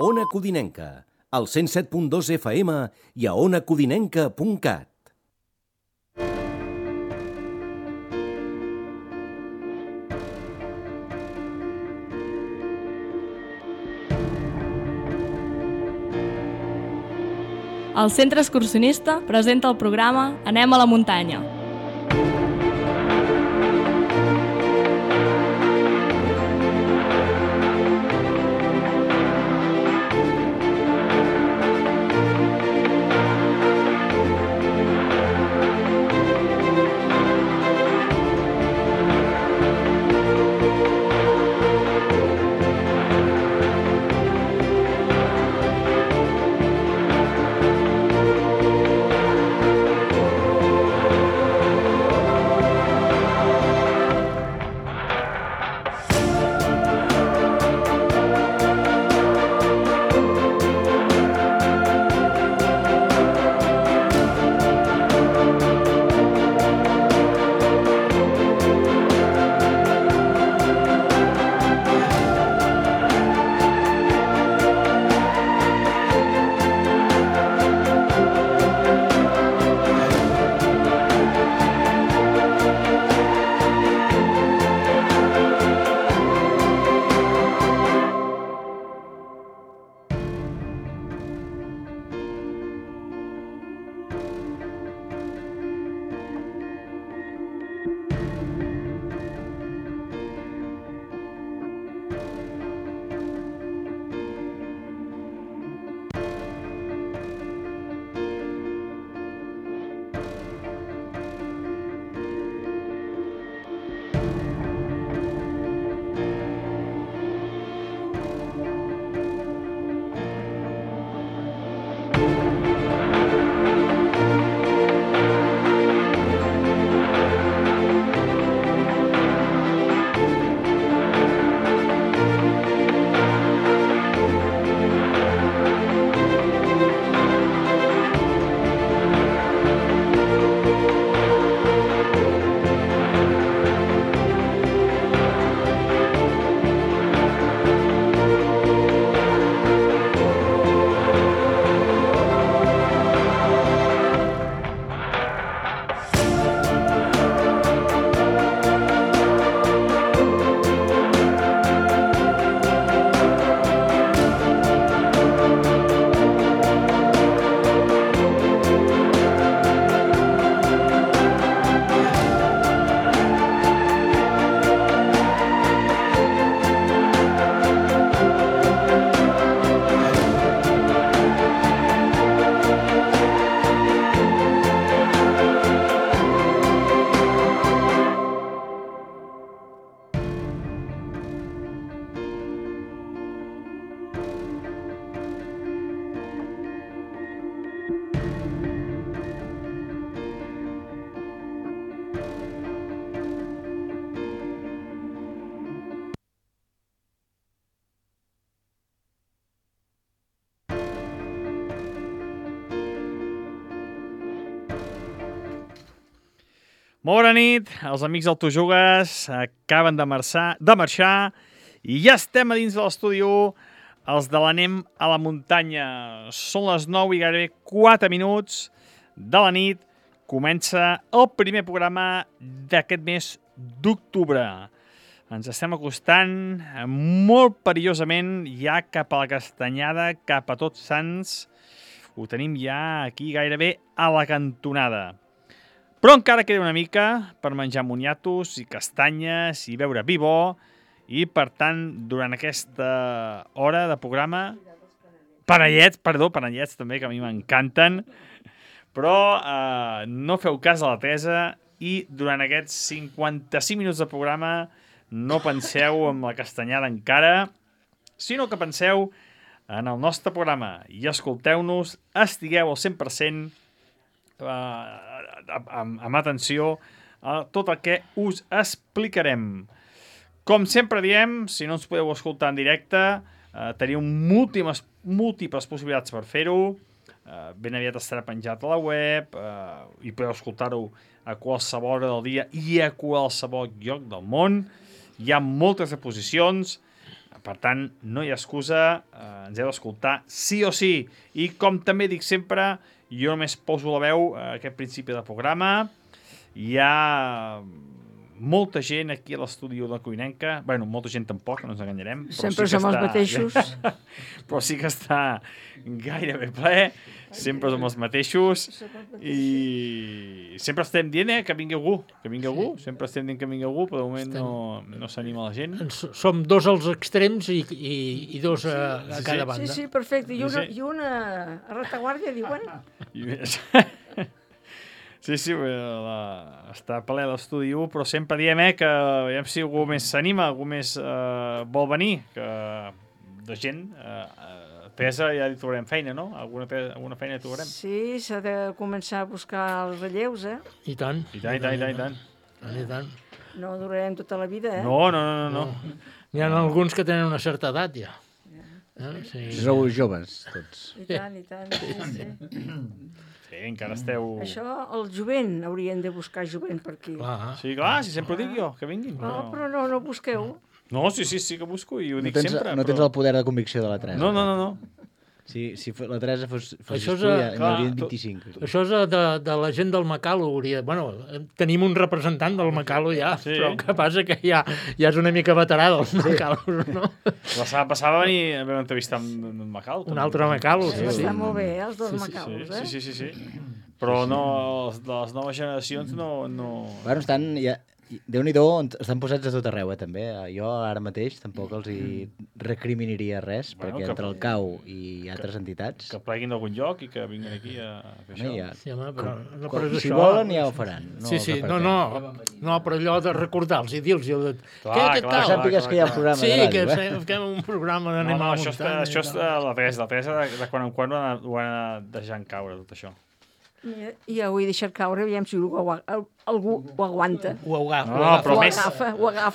Ona Codinenca, al 107.2 FM i a onacodinenca.cat. El Centre Excursionista presenta el programa Anem a la muntanya. Molt bona nit, els amics del Tu Jugues acaben de marxar i ja estem a dins de l'estudi 1, els de l'Anem a la muntanya. Són les 9 i gairebé 4 minuts de la nit. Comença el primer programa d'aquest mes d'octubre. Ens estem acostant molt perillosament ja cap a la Castanyada, cap a Tots Sants. Ho tenim ja aquí gairebé a la cantonada. Però encara queda una mica per menjar moniatos i castanyes i beure vi bo i, per tant, durant aquesta hora de programa... Panellets també, que a mi m'encanten, però no feu cas a la Teresa i durant aquests 55 minuts de programa no penseu en la castanyada encara, sinó que penseu en el nostre programa i escolteu-nos, estigueu al 100% amb atenció a tot el que us explicarem. Com sempre diem, si no ens podeu escoltar en directe, teniu múltiples possibilitats per fer-ho. Ben aviat estarà penjat a la web i podeu escoltar-ho a qualsevol hora del dia i a qualsevol lloc del món. Hi ha moltes reposicions. Per tant, no hi ha excusa, ens heu d'escoltar sí o sí. I com també dic sempre, jo només poso la veu a aquest principi del programa. Hi ha molta gent aquí a l'estudi de Cuinenca. Bueno, molta gent tampoc, no ens enganyarem. Sempre som els mateixos. Però sí que està gairebé ple. Sempre som els mateixos. I sempre estem dient que vingui algú. Que vingui algú. Sempre estem dient que vingui algú, però de moment no s'anima la gent. Som dos als extrems i dos a cada banda. Sí, perfecte. I una a retaguardia, diuen. Sí, està ple l'estudi 1, però sempre diem que aviam si algú més s'anima, algú més vol venir, que de gent... Teresa, ja hi trobarem feina, no? Alguna feina hi trobarem? Sí, s'ha de començar a buscar els relleus, I tant. I tant. No durarem tota la vida, No. N'hi ha alguns que tenen una certa edat, ja. Sí. Sou joves, tots. I tant, sí. Sí, encara esteu... Això, el jovent, haurien de buscar jovent per aquí. Sí, clar, si sempre ho dic jo, que vinguin. No, però no busqueu. No, sí que busco i ho dic sempre. No tens el poder de convicció de la Teresa. No. Si la Teresa fos Això tu, ja n'hi haurien 25. Això és de la gent del Macalo. Bueno, tenim un representant del Macalo ja, però el que passa que ja és una mica veterà del Macalo, no? La setmana passada vam entrevistar amb Macalo. Un altre Macalo, sí. Està molt bé, els dos Macalos, Sí. Però no, les noves generacions no... Bueno, estan... Déu-n'hi-do, estan posats a tot arreu, també. Jo ara mateix tampoc els hi recriminaria res, perquè entre el CAU i altres entitats... Que pleguin d'algun lloc i que vinguin aquí a fer això. Sí, home, però si volen ja ho faran. Sí, no, però allò de recordar-los i dir-los... Clar, que sàpigues que hi ha un programa de ràdio. Sí, que fem un programa d'anem a la muntanya. Això és la Teresa, de quan en quan ho han deixat caure, tot això. I ho he deixat caure, aviam si algú ho aguanta. Ho agafa.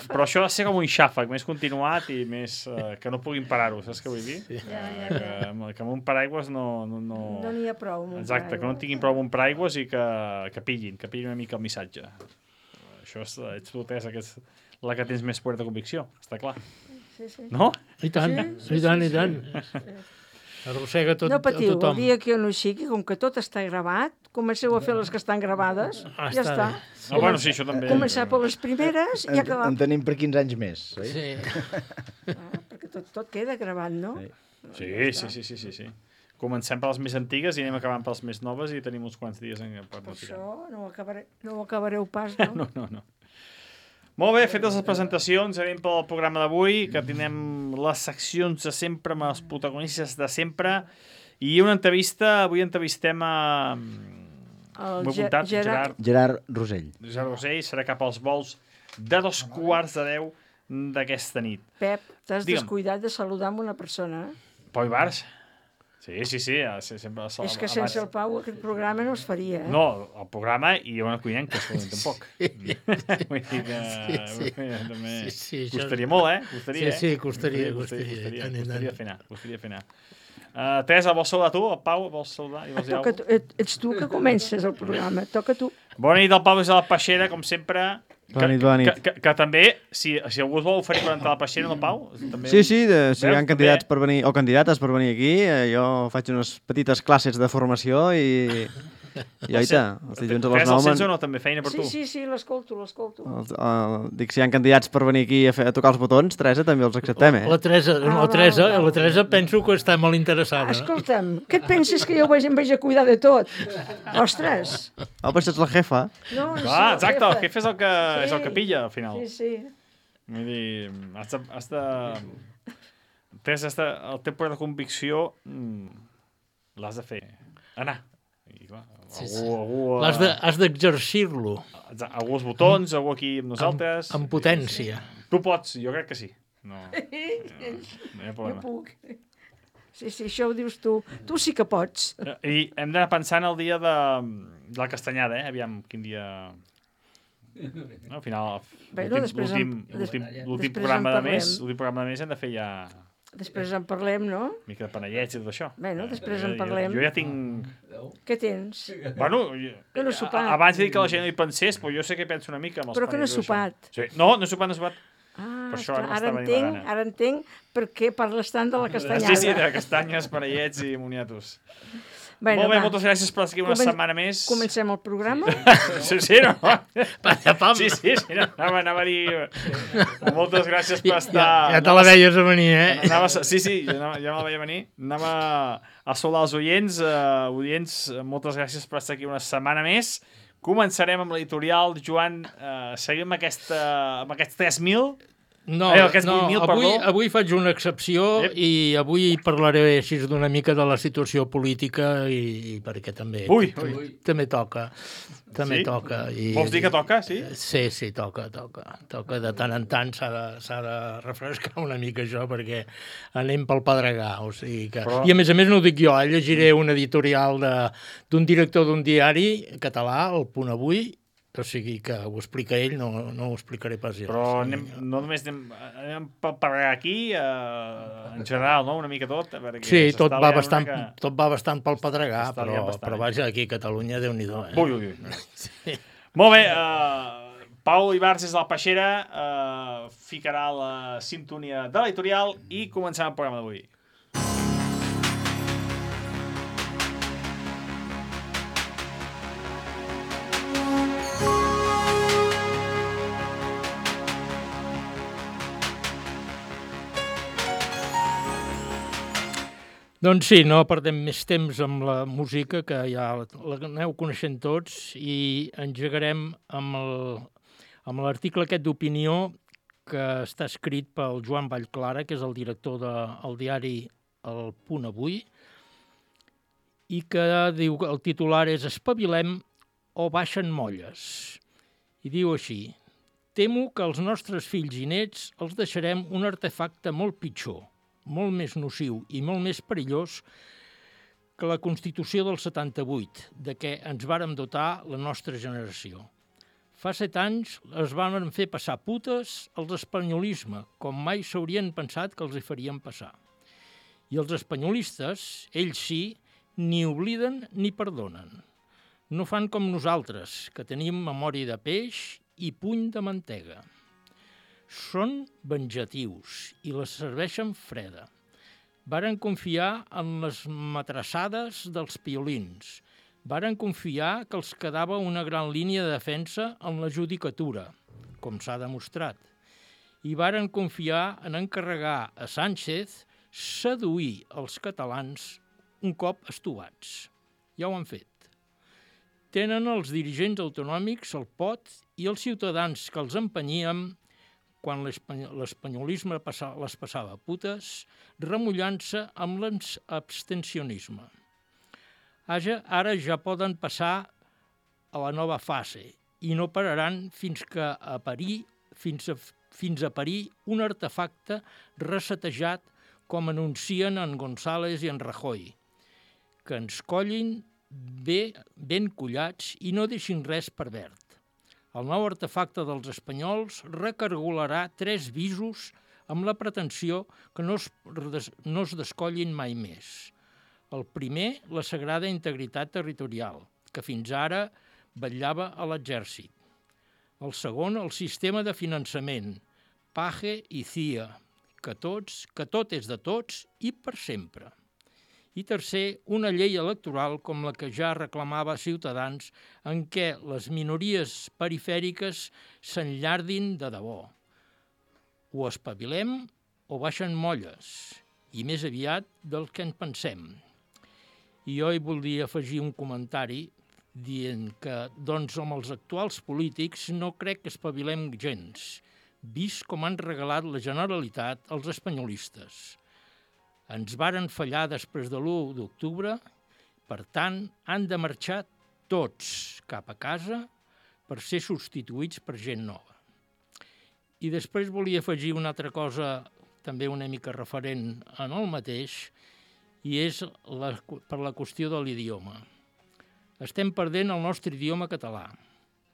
Però això ha de ser com un xàfec, més continuat i més... que no puguin parar-ho, saps què vull dir? Que amb un paraigües no... No n'hi ha prou. Exacte, que no tinguin prou amb un paraigües i que pillin una mica el missatge. Això ets tu, Teresa, que és la que tens més poder de convicció, està clar. Sí. No? I tant. Arrossega tot no patiu, tothom. El dia que jo no hi sigui, com que tot està gravat, comenceu a fer les que estan gravades, ja està. Bueno, sí, això també. Començar per les primeres i acabar. En tenim per 15 anys més, oi? Sí. Perquè tot queda gravat, no? Sí. Comencem per les més antigues i anem acabant per les més noves i tenim uns quants dies per no tirar. Això no ho acabareu pas, no? No. Molt bé, fetes les presentacions, anem pel programa d'avui, que tindrem les seccions de sempre amb els protagonistes de sempre, i una entrevista, avui entrevistem a... Gerard Rosell. Gerard Rosell, serà cap als vols de 2:15 d'aquesta nit. Pep, t'has descuidat de saludar amb una persona, Pau Ibars? Sí. Sempre, és que sense el Pau aquest programa no es faria, No, el programa i una Cuinenca, tampoc. Vull dir que... Costaria molt, Costaria. Sí, costaria. Costaria fer anar. Teresa, vols saludar tu? El Pau, vols saludar? Ets tu que comences el programa, toca tu. Bona nit, el Pau és a la Peixera, com sempre. Bona nit. Que també, si algú es vol oferir per entrar a la Peixera, no, Pau? També... Sí, si hi ha candidats per venir, o candidates per venir aquí, jo faig unes petites classes de formació i oita, els dilluns a les 9... Fes el sense o no, també, feina per tu? Sí, l'escolto. Dic, si hi ha candidats per venir aquí a tocar els botons, Teresa, també els acceptem, La Teresa penso que està molt interessada. Escolta'm, què et penses que jo em vaig a cuidar de tot? Ostres! Però ets la jefa. No, exacte, el jefe és el que pilla, al final. Sí. Vull dir, has de... Teresa, el teu poder de convicció l'has de fer. Anar. I clar, algú... Has d'exercir-lo. Algú als botons, algú aquí amb nosaltres... Amb potència. Tu pots, jo crec que sí. No hi ha problema. Jo puc. Sí, això ho dius tu. Tu sí que pots. I hem d'anar pensant el dia de la castanyada, Aviam, quin dia... Al final, l'últim programa de mes hem de fer ja... Després en parlem, no? Una mica de panellets i tot això. Bueno, després en parlem. Jo ja tinc... Què tens? Bueno, que no he sopat. Abans de dir que la gent no hi pensés, però jo sé que penso una mica amb els però que no he sopat. Sí. No he sopat. per això ara ara m'estava divagant. Ara entenc per què parles tant de la castanyada. Sí, de castanyes, parellets i moniatos. Bueno, Molt bé, moltes gràcies per estar aquí una setmana més. Comencem el programa? Sí, no? Pam. Sí, no, anava a dir... Moltes gràcies per estar... Ja te la veies a venir, Sí, ja me la veia venir. Anava a saludar els oients. Oients, moltes gràcies per estar aquí una setmana més. Començarem amb l'editorial. Joan, seguim amb aquests 3.000. No, avui faig una excepció i avui parlaré així d'una mica de la situació política i perquè també toca. També toca. Vols dir que toca, sí? Sí, toca. Toca de tant en tant, s'ha de refrescar una mica això perquè anem pel pedregar. O sigui que... I a més no ho dic jo, llegiré un editorial d'un director d'un diari català, El Punt Avui, o sigui que ho explica ell, no ho explicaré pas jo. Però no només anem per aquí, en general, no? Una mica tot. Sí, tot va bastant pel pedregar, però vaja, aquí a Catalunya, Déu-n'hi-do. Ui. Sí. Molt bé, Pau Ibarz des de la Peixera ficarà la sintonia de l'editorial i començarem el programa d'avui. Doncs sí, no perdem més temps amb la música, que ja l'aneu coneixent tots, i engegarem amb l'article aquest d'opinió que està escrit pel Joan Vallclara, que és el director del diari El Punt Avui, i que diu que el titular és «Espavilem o baixen molles». I diu així: «Temo que els nostres fills i nets els deixarem un artefacte molt pitjor, molt més nociu i molt més perillós que la Constitució del 78, de què ens vàrem dotar la nostra generació. Fa 7 anys es van fer passar putes als espanyolisme, com mai s'haurien pensat que els hi farien passar. I els espanyolistes, ells sí, ni obliden ni perdonen. No fan com nosaltres, que tenim memòria de peix i puny de mantega. Són venjatius i les serveixen freda. Varen confiar en les matrassades dels piolins. Varen confiar que els quedava una gran línia de defensa en la judicatura, com s'ha demostrat. I varen confiar en encarregar a Sánchez seduir els catalans un cop estovats. Ja ho han fet. Tenen els dirigents autonòmics el pot i els ciutadans que els empenyíem quan l'espanyolisme les passava putes, remullant-se amb l'abstencionisme. Ara ja poden passar a la nova fase i no pararan fins a parir un artefacte resetejat com anuncien en González i en Rajoy, que ens collin ben collats i no deixin res per verd. El nou artefacte dels espanyols recargolarà 3 visos amb la pretensió que no es descollin mai més. El primer, la sagrada integritat territorial, que fins ara vetllava a l'exèrcit. El segon, el sistema de finançament, PAGE i CIA, que tot és de tots i per sempre. I tercer, una llei electoral com la que ja reclamava Ciutadans, en què les minories perifèriques s'enllardin de debò. O espavilem o baixen molles, i més aviat del que en pensem. I jo hi voldria afegir un comentari dient que, doncs, amb els actuals polítics no crec que espavilem gens, vist com han regalat la Generalitat als espanyolistes. Ens varen fallar després de l'1 d'octubre, per tant, han de marxar tots cap a casa per ser substituïts per gent nova. I després volia afegir una altra cosa, també una mica referent en el mateix, i és per la qüestió de l'idioma. Estem perdent el nostre idioma català.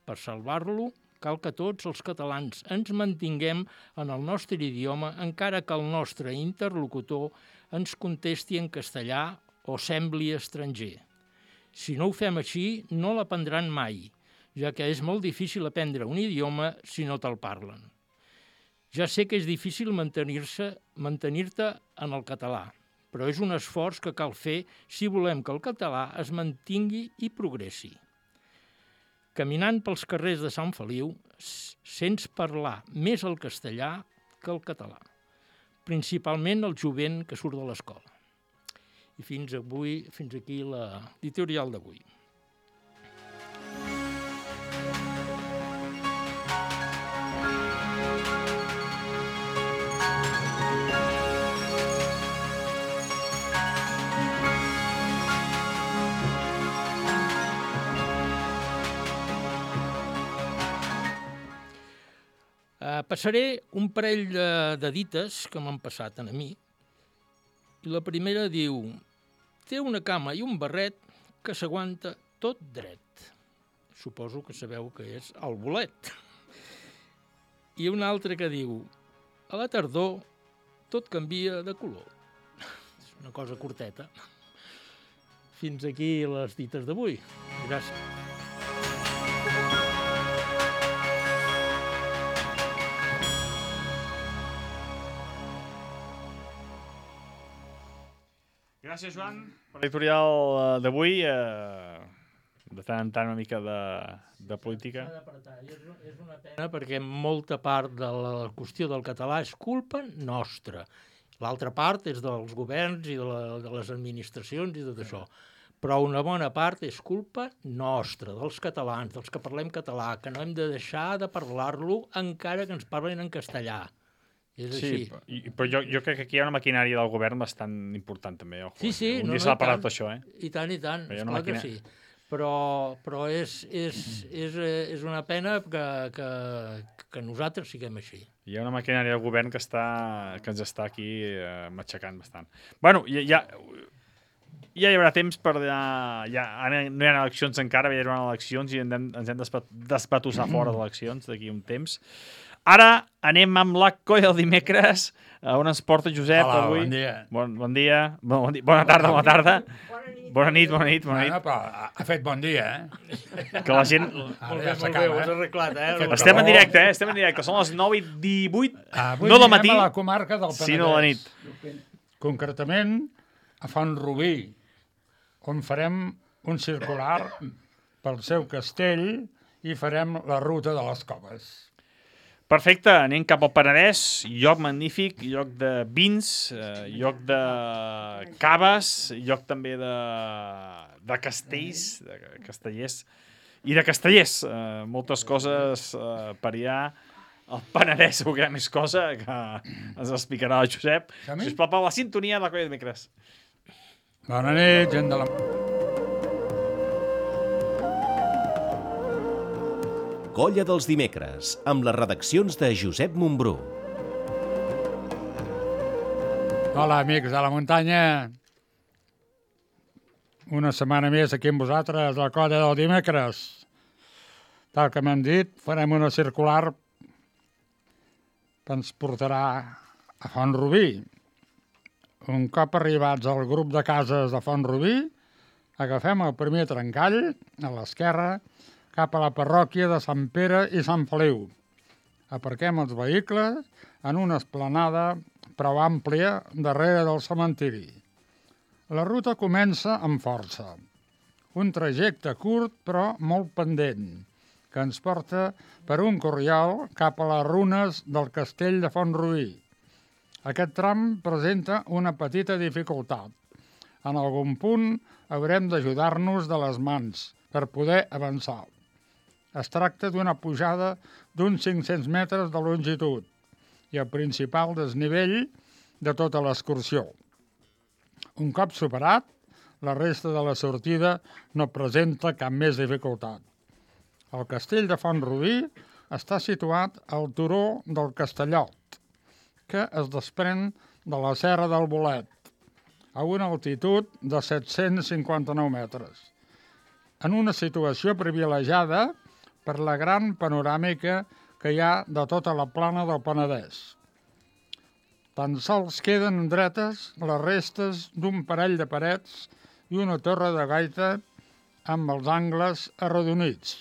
Per salvar-lo, cal que tots els catalans ens mantinguem en el nostre idioma, encara que el nostre interlocutor ens contesti en castellà o sembli estranger. Si no ho fem així, no l'aprendran mai, ja que és molt difícil aprendre un idioma si no te'l parlen. Ja sé que és difícil mantenir-te en el català, però és un esforç que cal fer si volem que el català es mantingui i progressi. Caminant pels carrers de Sant Feliu, sents parlar més el castellà que el català, principalment el jovent que surt de l'escola. I fins aquí l'editorial d'avui. Passaré un parell de dites que m'han passat a mi. I la primera diu: té una cama i un barret que s'aguanta tot dret. Suposo que sabeu que és el bolet. I una altra que diu: a la tardor tot canvia de color. És una cosa curteta. Fins aquí les dites d'avui. Gràcies. Gràcies, Joan, per l'editorial d'avui. De tant en tant una mica de política. És una pena perquè molta part de la qüestió del català és culpa nostra. L'altra part és dels governs i de les administracions i tot això. Però una bona part és culpa nostra, dels catalans, dels que parlem català, que no hem de deixar de parlar-lo encara que ens parlen en castellà. És així. Sí, però jo crec que aquí hi ha una maquinària del govern bastant important també. Ojo. Sí, un dia s'ha parlat d'això, I tant, esclar que sí. Però és una pena que nosaltres siguem així. Hi ha una maquinària del govern que ens està aquí matxacant bastant. Bueno, ja hi haurà temps per... no hi ha eleccions encara, hi haurà eleccions i ens hem d'espatussar fora d'eleccions d'aquí un temps. Ara anem amb la colla del dimecres, on ens porta Josep. Hola, avui. bon dia. Bona tarda. Bona nit. Bueno, però ha fet bon dia, Que la gent... Molt bé, ho has arreglat, Estem en directe, Són les 9:18, avui no del matí, a la comarca del Penedès. sinó de la nit. Concretament a Font-rubí, on farem un circular pel seu castell i farem la ruta de les coves. Perfecte, anem cap al Penedès, lloc magnífic, lloc de vins, lloc de caves, lloc també de castells, de castellers i de castellers. Moltes coses per allà. El Penedès segur que hi ha més cosa que ens explicarà el Josep. Sisplau, per la sintonia de la colla de dimecres. Bona nit, gent de la... Colla dels dimecres, amb les redaccions de Josep Montbrú. Hola, amics de la muntanya. Una setmana més aquí amb vosaltres, la colla del dimecres. Tal com hem dit, farem una circular que ens portarà a Font-rubí. Un cop arribats al grup de cases de Font-rubí, agafem el primer trencall, a l'esquerra, cap a la parròquia de Sant Pere i Sant Feliu. Aparquem els vehicles en una esplanada prou àmplia darrere del cementiri. La ruta comença amb força. Un trajecte curt però molt pendent, que ens porta per un corriol cap a les runes del castell de Font-rubí. Aquest tram presenta una petita dificultat. En algun punt haurem d'ajudar-nos de les mans per poder avançar. Es tracta d'una pujada d'uns 500 metres de longitud i el principal desnivell de tota l'excursió. Un cop superat, la resta de la sortida no presenta cap més dificultat. El castell de Font-rubí està situat al turó del Castellot, que es desprèn de la serra del Bolet, a una altitud de 759 metres. En una situació privilegiada per la gran panoràmica que hi ha de tota la plana del Penedès. Tan sols queden dretes les restes d'un parell de parets i una torre de gaita amb els angles arrodonits.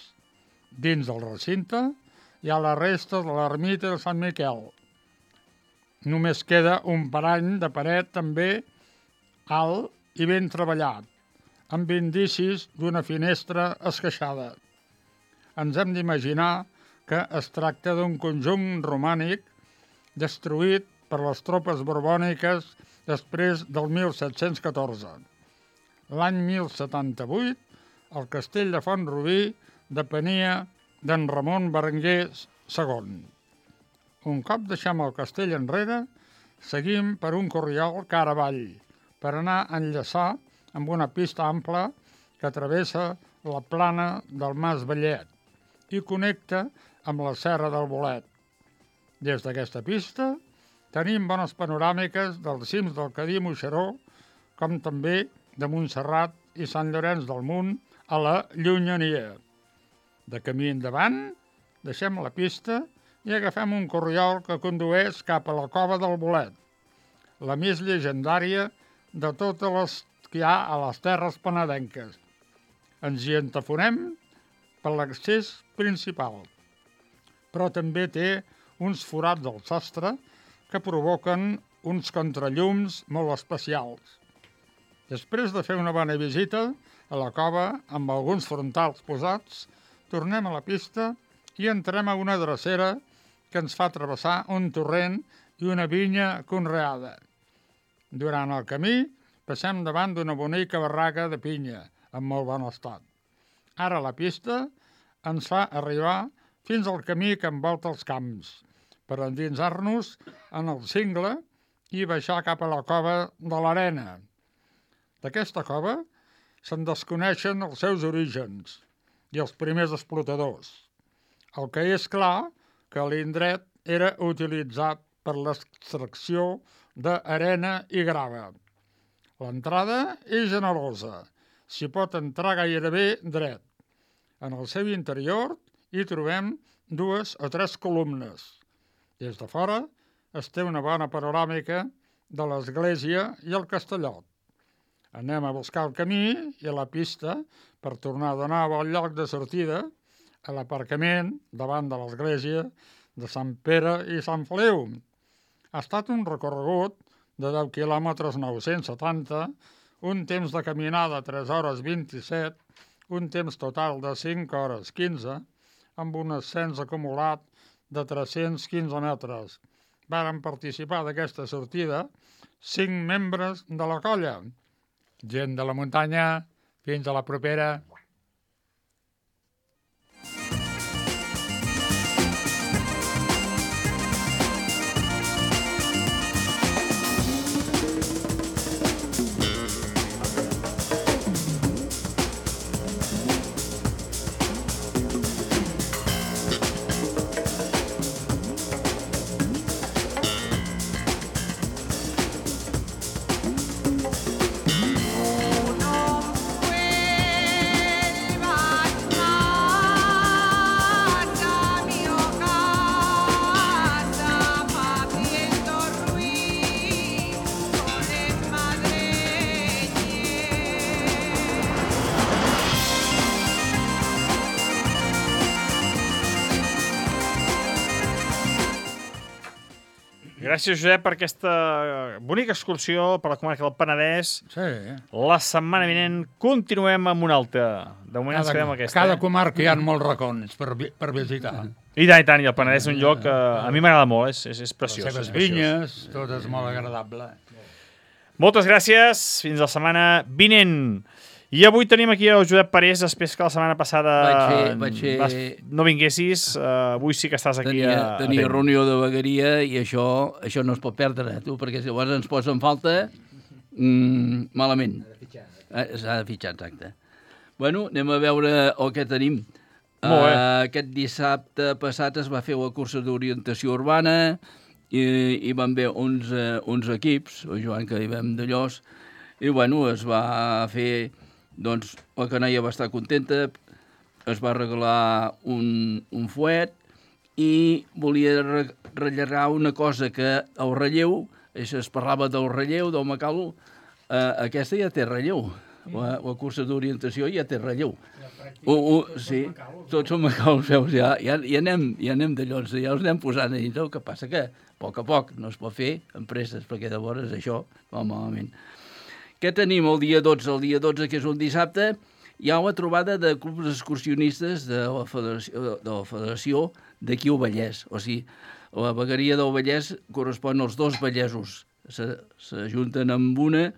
Dins del recinte hi ha la resta de l'ermita de Sant Miquel, només queda un parany de paret també alt i ben treballat, amb indicis d'una finestra esqueixada. Ens hem d'imaginar que es tracta d'un conjunt romànic destruït per les tropes borbòniques després del 1714. L'any 1078, el castell de Font-rubí depenia d'en Ramon Berenguer II. Un cop deixem el castell enrere, seguim per un corriol cara avall, per anar a enllaçar amb una pista ampla que travessa la plana del Mas Vellet i connecta amb la Serra del Bolet. Des d'aquesta pista tenim bones panoràmiques dels cims del Cadí Moixeró, com també de Montserrat i Sant Llorenç del Munt a la llunyania. De camí endavant, deixem la pista i agafem un corriol que condueix cap a la Cova del Bolet, la més llegendària de totes les que hi ha a les terres penedenques. Ens hi entafonem per l'accés principal, però també té uns forats del sostre que provoquen uns contrallums molt especials. Després de fer una bona visita a la cova amb alguns frontals posats, tornem a la pista i entrem a una drecera que ens fa travessar un torrent i una vinya conreada. Durant el camí passem davant d'una bonica barraca de pinya, en molt bon estat. Ara la pista ens fa arribar fins al camí que envolta els camps, per endinsar-nos en el cingle i baixar cap a la cova de l'Arena. D'aquesta cova se'n desconeixen els seus orígens i els primers explotadors. El que és clar que l'indret era utilitzat per l'extracció d'arena i grava. L'entrada és generosa, s'hi pot entrar gairebé dret. En el seu interior hi trobem 2 o 3 columnes. Des de fora es té una bona panoràmica de l'església i el castellot. Anem a buscar el camí i la pista per tornar a donar bon lloc de sortida a l'aparcament davant de l'església de Sant Pere i Sant Feliu. Ha estat un recorregut de 10 quilòmetres 970, un temps de caminada 3 hores 27, un temps total de 5 hores 15, amb un ascens acumulat de 315 metres. Varen participar d'aquesta sortida 5 membres de la colla. Gent de la muntanya, fins a la propera. Gràcies, Josep, per aquesta bonica excursió per la comarca del Penedès. Sí. La setmana vinent continuem amb una altra. De moment ens quedem aquesta. Cada comarca hi ha molts racons per visitar. I tant, i el Penedès és un lloc que a mi m'agrada molt, és preciós. Les seves vinyes, tot és molt agradable. Moltes gràcies, fins la setmana vinent. I avui tenim aquí el Josep Parés, després que la setmana passada no vinguessis, avui sí que estàs aquí. Tenia reunió de vegueria i això no es pot perdre, tu, perquè si llavors ens posa en falta, malament. S'ha de fitxar, exacte. Bueno, anem a veure el que tenim. Aquest dissabte passat es va fer la cursa d'orientació urbana i van haver uns equips, el Joan que hi vam de Llos, i bueno, es va fer... Doncs la canalla va estar contenta, es va regalar un fuet i volia rellegar una cosa que el relleu, es parlava del relleu, del macalo, aquesta ja té relleu, la cursa d'orientació ja té relleu. Sí, tots som macaus, veus, ja anem d'allò, ja els anem posant a dintre, el que passa que a poc no es pot fer en presses, perquè llavors això va malament. Què tenim el dia 12? El dia 12, que és un dissabte, hi ha una trobada de clubs excursionistes de la Federació d'aquí al Vallès. O sigui, la vegueria del Vallès correspon als 2 vallesos. S'ajunten amb una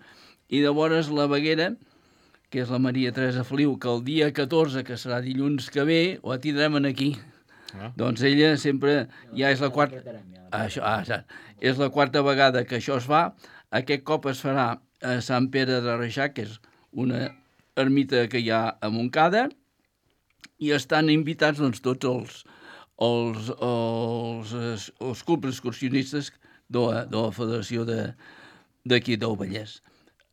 i llavors la veguera, que és la Maria Teresa Feliu, que el dia 14, que serà dilluns que ve, la tindrem aquí. Doncs ella sempre ja és la quarta... És la quarta vegada que això es fa. Aquest cop es farà a Sant Pere de Reixac, que és una ermita que hi ha a Montcada, i estan invitats doncs, tots els clubs excursionistes de la Federació d'aquí del Vallès.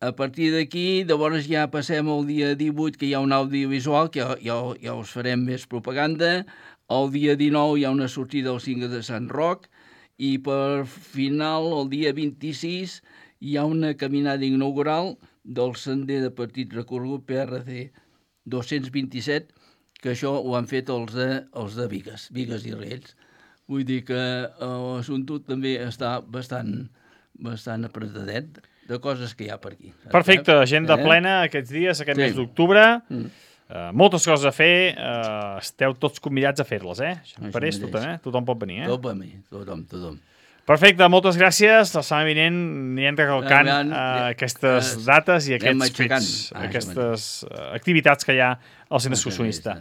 A partir d'aquí, llavors ja passem al dia 18, que hi ha un audiovisual, que ja us farem més propaganda. El dia 19 hi ha una sortida al Cingle de Sant Roc, i per final, el dia 26, hi ha una caminada inaugural del sender de petit recorregut PRC 227, que això ho han fet els de Bigues i Riells. Vull dir que l'assumpte també està bastant apretadet de coses que hi ha per aquí. Perfecte, agenda plena aquests dies, aquest mes d'octubre. Moltes coses a fer, esteu tots convidats a fer-les, Per ells, tothom pot venir, Tothom. Perfecte, moltes gràcies. La setmana vinent anirem recalcant aquestes dates i aquests fets, aquestes activitats que hi ha al centre excursionista.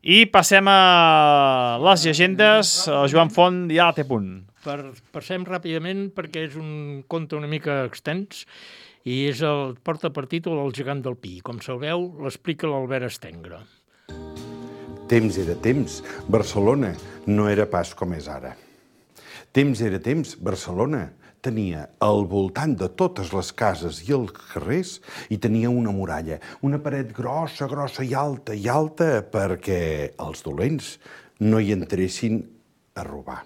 I passem a les llegendes. Joan Font ja la té a punt. Passem ràpidament perquè és un conte una mica extens i porta per títol El gegant del Pi. Com sabeu, l'explica l'Albert Estengre. Temps era temps, Barcelona no era pas com és ara. Temps era temps, Barcelona tenia al voltant de totes les cases i els carrers i tenia una muralla, una paret grossa i alta perquè els dolents no hi entressin a robar.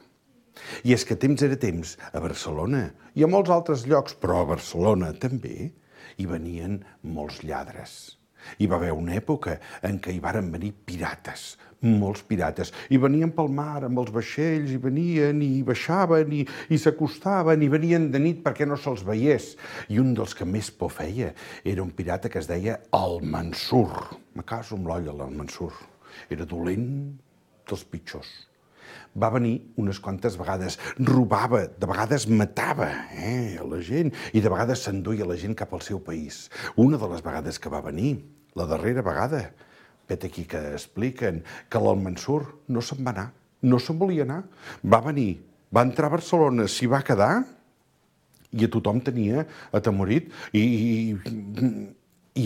I és que temps era temps a Barcelona i a molts altres llocs, però a Barcelona també, hi venien molts lladres. Hi va haver una època en què hi varen venir pirates, molts pirates, i venien pel mar amb els vaixells, i venien i baixaven i s'acostaven i venien de nit perquè no se'ls veiés. I un dels que més por feia era un pirata que es deia el Mansur. Me caso amb l'olla, el Mansur. Era dolent dels pitjors. Va venir unes quantes vegades, robava, de vegades matava a la gent i de vegades s'enduia la gent cap al seu país. Una de les vegades que va venir, la darrera vegada, vet aquí que expliquen que l'Almansur no se'n va anar, no se'n volia anar. Va venir, va entrar a Barcelona, s'hi va quedar i a tothom tenia atemorit i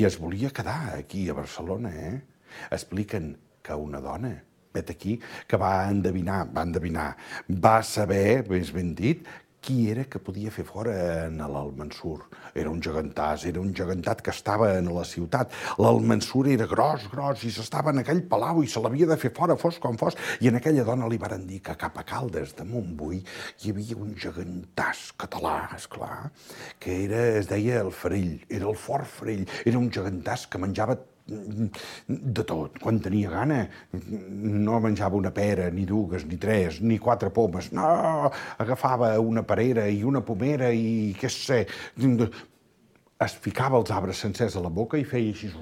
es volia quedar aquí a Barcelona. Expliquen que una dona, vet aquí, que va endevinar, va saber, més ben dit, qui era que podia fer fora en l'Almansur. Era un gegantat que estava en la ciutat. L'Almansur era gros, i s'estava en aquell palau i se l'havia de fer fora, fos com fos. I en aquella dona li varen dir que cap a Caldes de Montbui hi havia un gegantàs català, esclar, que es deia el Farell, era el Fort Farell. Era un gegantàs que menjava de tot. Quan tenia gana no menjava una pera, ni dues, ni tres, ni 4 pomes. No, agafava una perera i una pomera i què sé, es ficava els arbres sencers a la boca i feia així,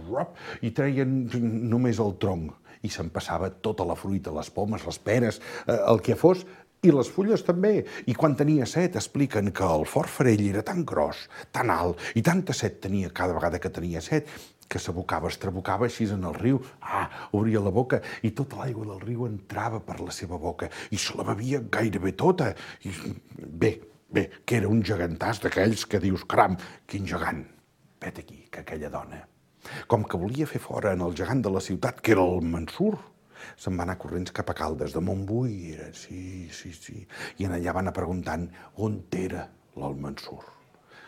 i treien només el tronc. I se'n passava tota la fruita, les pomes, les peres, el que fos, i les fulles també. I quan tenia set, expliquen que el Fort Farell era tan gros, tan alt, i tanta set tenia cada vegada que tenia set, que s'abocava, es trabucava així en el riu, obria la boca i tota l'aigua del riu entrava per la seva boca i se la bevia gairebé tota. Bé, que era un gegantàs d'aquells que dius, caram, quin gegant. Vet aquí, que aquella dona, com que volia fer fora en el gegant de la ciutat, que era el Mansur, se'n va anar corrents cap a Caldes de Montbui, sí, i allà va anar preguntant on era l'Almansur.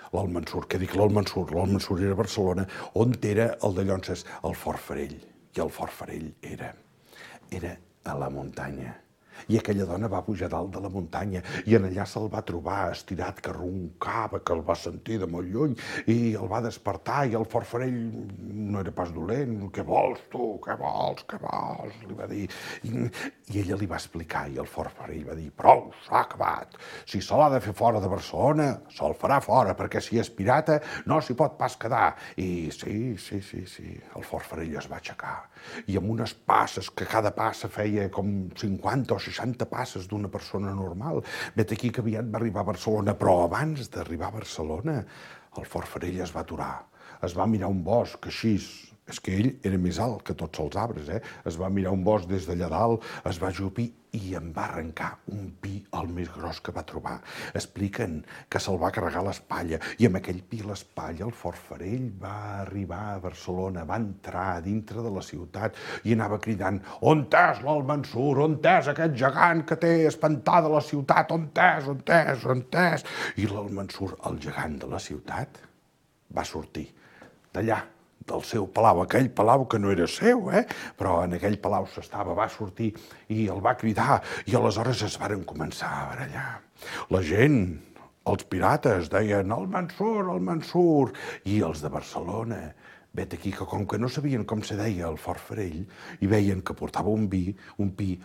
L'Almansur, què dic l'Almansur? L'Almansur era a Barcelona, on era el de Llonses, el Fort Farell. I el Fort Farell era a la muntanya. I aquella dona va pujar dalt de la muntanya i en allà se'l va trobar estirat, que roncava, que el va sentir de molt lluny i el va despertar i el forfarell no era pas dolent. Què vols, tu? Què vols? Què vols? Li va dir. I ella li va explicar i el forfarell va dir: prou, s'ha acabat. Si se l'ha de fer fora de Barcelona, se'l farà fora, perquè si és pirata no s'hi pot pas quedar. I sí, el forfarell es va aixecar i amb unes passes, que cada passa feia com 50 o 60 passes d'una persona normal. Vet aquí que aviat va arribar a Barcelona, però abans d'arribar a Barcelona el forfarell es va aturar, es va mirar un bosc així. És que ell era més alt que tots els arbres, Es va mirar un bosc des d'allà dalt, es va ajupir i en va arrencar un pi el més gros que va trobar. Expliquen que se'l va carregar a l'espatlla i amb aquell pi a l'espatlla el forfarell va arribar a Barcelona, va entrar dintre de la ciutat i anava cridant: on és l'Almansur? On és aquest gegant que té espantada la ciutat? On és? On és? On és? I l'Almansur, el gegant de la ciutat, va sortir d'allà, del seu palau, aquell palau que no era seu, però en aquell palau s'estava, va sortir i el va cridar i aleshores es varen començar a barallar. La gent, els pirates, deien: el Mansur, i els de Barcelona, vet aquí que com que no sabien com se deia el forfarell i veien que portava un pi,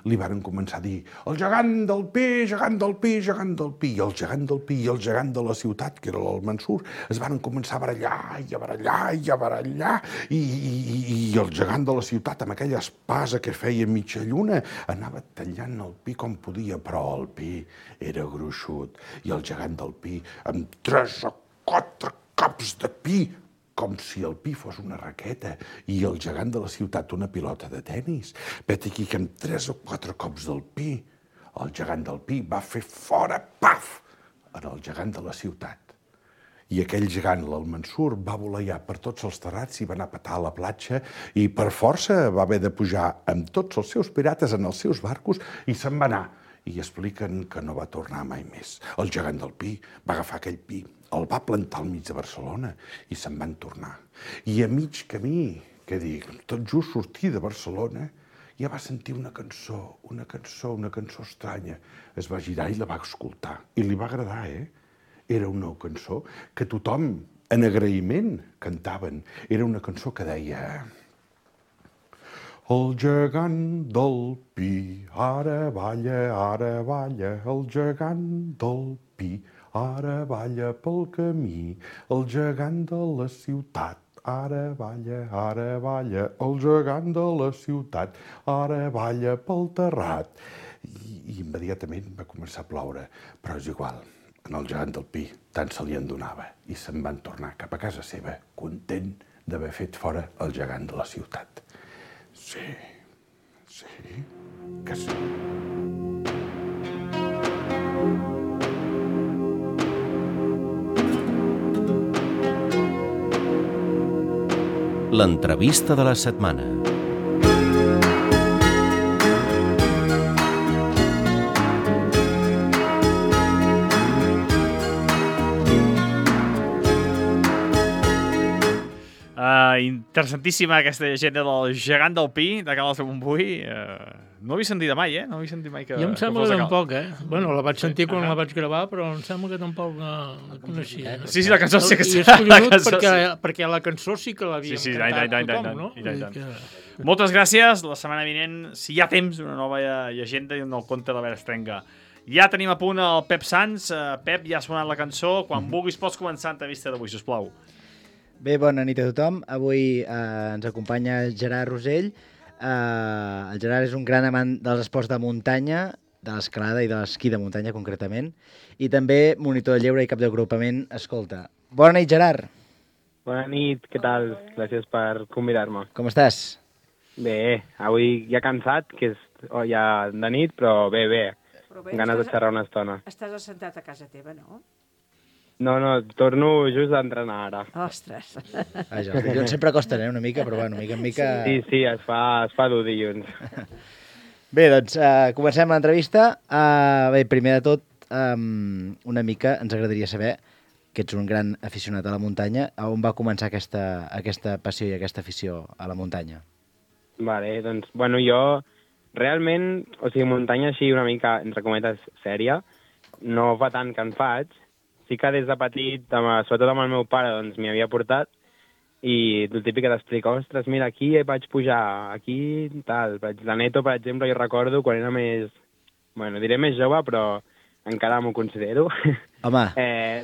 li varen començar a dir: el gegant del pi, gegant del pi, gegant del pi. I el gegant del pi i el gegant de la ciutat, que era l'Almansur, es varen començar a barallar i a barallar i a barallar i el gegant de la ciutat, amb aquella espasa que feia mitja lluna, anava tallant el pi com podia, però el pi era gruixut i el gegant del pi, amb 3 o 4 cops de pi, com si el pi fos una raqueta i el gegant de la ciutat una pilota de tenis. Vet aquí que amb 3 o 4 cops del pi, el gegant del pi va fer fora, paf, en el gegant de la ciutat. I aquell gegant, l'Almansur, va voleiar per tots els terrats i va anar a petar a la platja i per força va haver de pujar amb tots els seus pirates en els seus barcos i se'n va anar. I expliquen que no va tornar mai més. El gegant del pi va agafar aquell pi, el va plantar al mig de Barcelona i se'n van tornar. I a mig camí, què dic, tot just sortir de Barcelona, ja va sentir una cançó estranya. Es va girar i la va escoltar. I li va agradar, Era una cançó que tothom, en agraïment, cantaven. Era una cançó que deia: el gegant del pi ara balla, el gegant del pi ara balla pel camí, el gegant de la ciutat ara balla, el gegant de la ciutat ara balla pel terrat. I immediatament va començar a ploure, però és igual, en el gegant del pi tant se li en donava i se'n van tornar cap a casa seva, content d'haver fet fora el gegant de la ciutat. Sí, que sí. L'entrevista de la setmana. Interessantíssima aquesta llegenda del gegant del pi, de Carles de Montbui. No l'he sentit mai, No l'he sentit mai que... Jo em sembla que tampoc, Bueno, la vaig sentir quan la vaig gravar, però em sembla que tampoc la coneixia. Sí, la cançó sí que... I és curiós perquè la cançó sí que l'havíem cantat tothom, no? Moltes gràcies. La setmana vinent, si hi ha temps, una nova llegenda i un nou conte de l'Albert Estrenga. Ja tenim a punt el Pep Sans. Pep, ja ha sonat la cançó. Quan vulguis pots començar l'entrevista d'avui, sisplau. Bé, bona nit a tothom. Avui ens acompanya Gerard Rosell. El Gerard és un gran amant dels esports de muntanya, de l'escalada i de l'esquí de muntanya, concretament, i també monitor de lleure i cap d'agrupament Escolta. Bona nit, Gerard. Bona nit, què tal? Gràcies per convidar-me. Com estàs? Bé, avui ja cansat, que és ja de nit, però bé. Ganes de xerrar una estona. Estàs assentat a casa teva, no? No, torno just d'entrenar ara. Ostres. Vaja, els dilluns sempre costen, una mica, però bueno, mica en mica... Sí, es fa dur dilluns. Bé, doncs comencem l'entrevista. Bé, primer de tot, una mica ens agradaria saber que ets un gran aficionat a la muntanya. On va començar aquesta passió i aquesta afició a la muntanya? Vale, doncs, bueno, jo realment, o sigui, muntanya així una mica, entre cometes, sèria, no fa tant que en faig. Sí que des de petit, sobretot amb el meu pare, doncs m'hi havia portat, i el típic que t'explica, ostres, mira, aquí vaig pujar, aquí tal. La Neto, per exemple, jo recordo quan era més... Bueno, diré més jove, però encara m'ho considero. Home,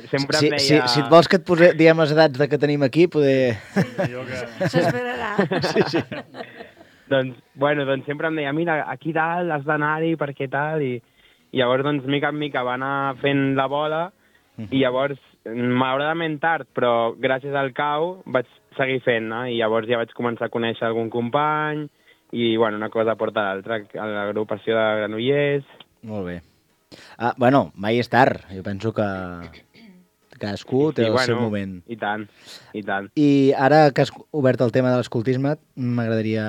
sempre em deia... si et vols que et diem les edats que tenim aquí, poder... S'esperarà. Sí. Doncs sempre em deia, mira, aquí dalt has d'anar-hi perquè tal, i llavors, doncs, mica en mica va anar fent la bola, i llavors, malauradament tard, però gràcies al cau vaig seguir fent, i llavors ja vaig començar a conèixer algun company, i, bueno, una cosa porta a l'altra, a l'agrupació de Granollers. Molt bé. Bueno, mai és tard. Jo penso que cadascú té el seu moment. I tant, i tant. I ara que has obert el tema de l'escoltisme, m'agradaria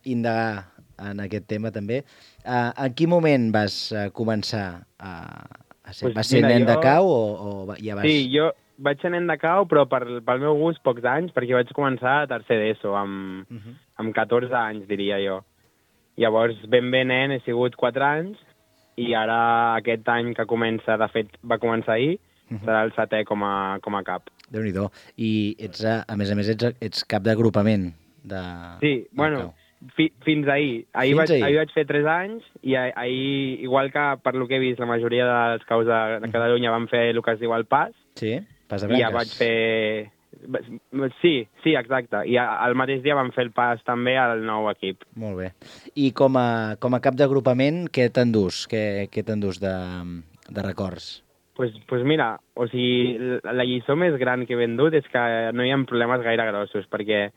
indagar en aquest tema també. En quin moment vas començar a ser? Vas ser nen de cau o ja vas... Sí, jo vaig ser nen de cau, però pel meu gust pocs anys, perquè vaig començar a tercer d'ESO, amb 14 anys, diria jo. Llavors, ben nen, he sigut 4 anys, i ara aquest any que comença, de fet, va començar ahir, serà el 7è com a cap. Déu-n'hi-do. I ets, a més, ets cap d'agrupament de... Sí, bueno, fins ahir. Ahir vaig fer 3 anys, i ahir, igual que per lo que he vist, la majoria dels caus de Catalunya van fer el que es diu el pas. Sí, pas de branques. I ja vaig fer... Sí, exacte. I al mateix dia vam fer el pas també al nou equip. Molt bé. I com a cap d'agrupament, què t'endús? Què t'endús de records? Pues mira, o sigui, la lliçó més gran que he vendut és que no hi ha problemes gaire grossos, perquè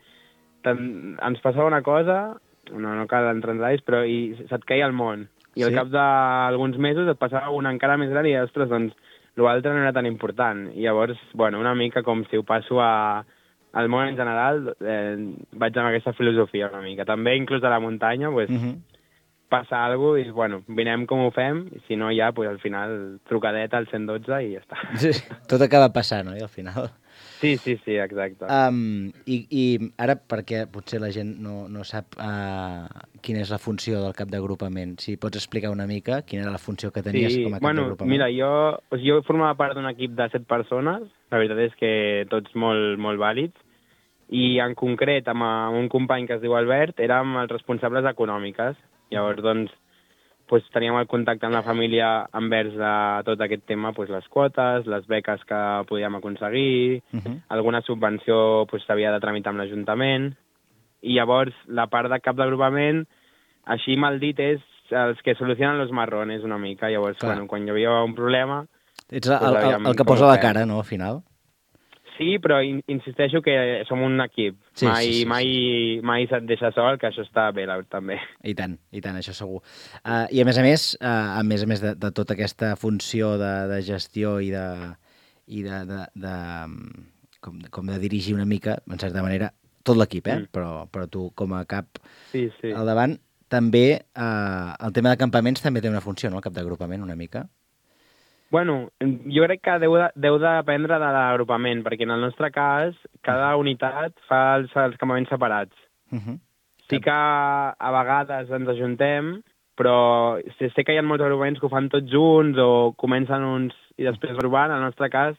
ens passava una cosa, no cal entrar en detalls, però se't queia el món. I al cap d'alguns mesos et passava una encara més gran i, ostres, doncs, l'altre no era tan important. I llavors, bueno, una mica com si ho passo al món en general, vaig amb aquesta filosofia una mica. També, inclús a la muntanya, pues, passa alguna cosa i, bueno, vinem com ho fem, i si no, ja, pues, al final, trucadeta al 112 i ja està. Sí, tot acaba passant, no?, al final. Sí, exacte. I ara, perquè potser la gent no sap quina és la funció del cap d'agrupament, si pots explicar una mica quina era la funció que tenies com a cap d'agrupament. Mira, jo formava part d'un equip de 7 persones, la veritat és que tots molt, molt vàlids, i en concret amb un company que es diu Albert érem els responsables econòmiques. Llavors, doncs, teníem el contacte amb la família envers tot aquest tema, les quotes, les beques que podíem aconseguir, alguna subvenció s'havia de tramitar amb l'Ajuntament, i llavors la part de cap d'agrupament, així mal dit, és els que solucionen los marrones una mica. Llavors, quan hi havia un problema... Ets el que posa la cara, no, al final? Sí, però insisteixo que som un equip. Mai se't deixa sol, que això està bé, també. I tant, això segur. I a més de tota aquesta funció de gestió i com de dirigir una mica, en certa manera, tot l'equip, però tu com a cap al davant, també el tema de campaments també té una funció, no?, el cap d'agrupament, una mica. Bueno, jo crec que deu dependre de l'agrupament, perquè en el nostre cas cada unitat fa els campaments separats. Sí que a vegades ens ajuntem, però sé que hi ha molts agrupaments que ho fan tots junts o comencen uns i després agrupant. En el nostre cas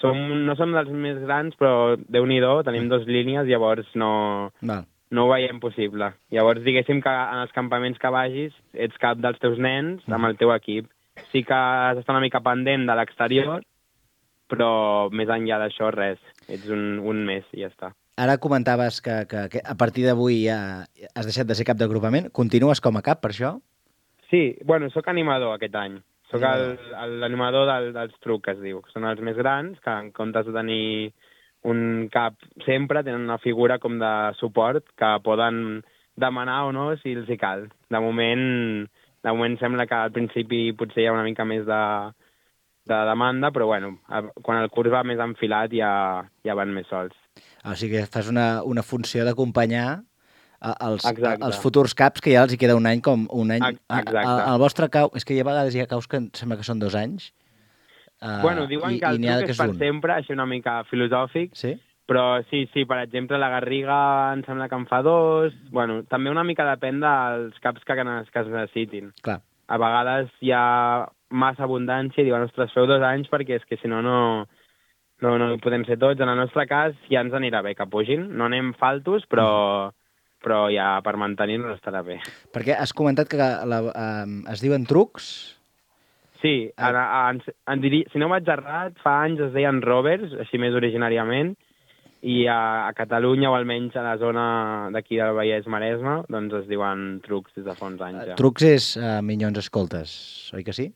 no som dels més grans, però Déu-n'hi-do, tenim 2 línies, llavors no ho veiem possible. Llavors diguéssim que en els campaments que vagis ets cap dels teus nens amb el teu equip. Sí que has d'estar una mica pendent de l'exterior, però més enllà d'això res. Ets un més i ja està. Ara comentaves que a partir d'avui ja has deixat de ser cap d'agrupament. Continues com a cap, per això? Sí, bueno, sóc animador aquest any. Sóc l'animador dels trucs, que es diu. Són els més grans, que en comptes de tenir un cap sempre, tenen una figura com de suport que poden demanar o no si els hi cal. De moment sembla que al principi potser hi ha una mica més de demanda, però bueno, quan el curs va més enfilat ja van més sols. O sigui que fas una funció d'acompanyar els futurs caps, que ja els hi queda un any com un any. Exacte. El vostre cau, és que a vegades hi ha caus que sembla que són 2 anys. Bueno, diuen que el truc és per sempre, així una mica filosòfic, Però sí, per exemple, la Garriga em sembla que en fa 2. Bueno, també una mica depèn dels caps que es necessitin. Clar. A vegades hi ha massa abundància i diuen, ostres, feu 2 anys perquè és que si no podem ser tots. En el nostre cas ja ens anirà bé que pugin. No anem faltos, però ja per mantenir-nos estarà bé. Perquè has comentat que es diuen trucs? Sí, si no vaig errat, fa anys es deien rovers, així més originàriament, i a Catalunya, o almenys a la zona d'aquí del Vallès-Maresme, doncs es diuen trucs des de fa uns anys. Ja. Trucs és Minyons Escoltes, oi que sí?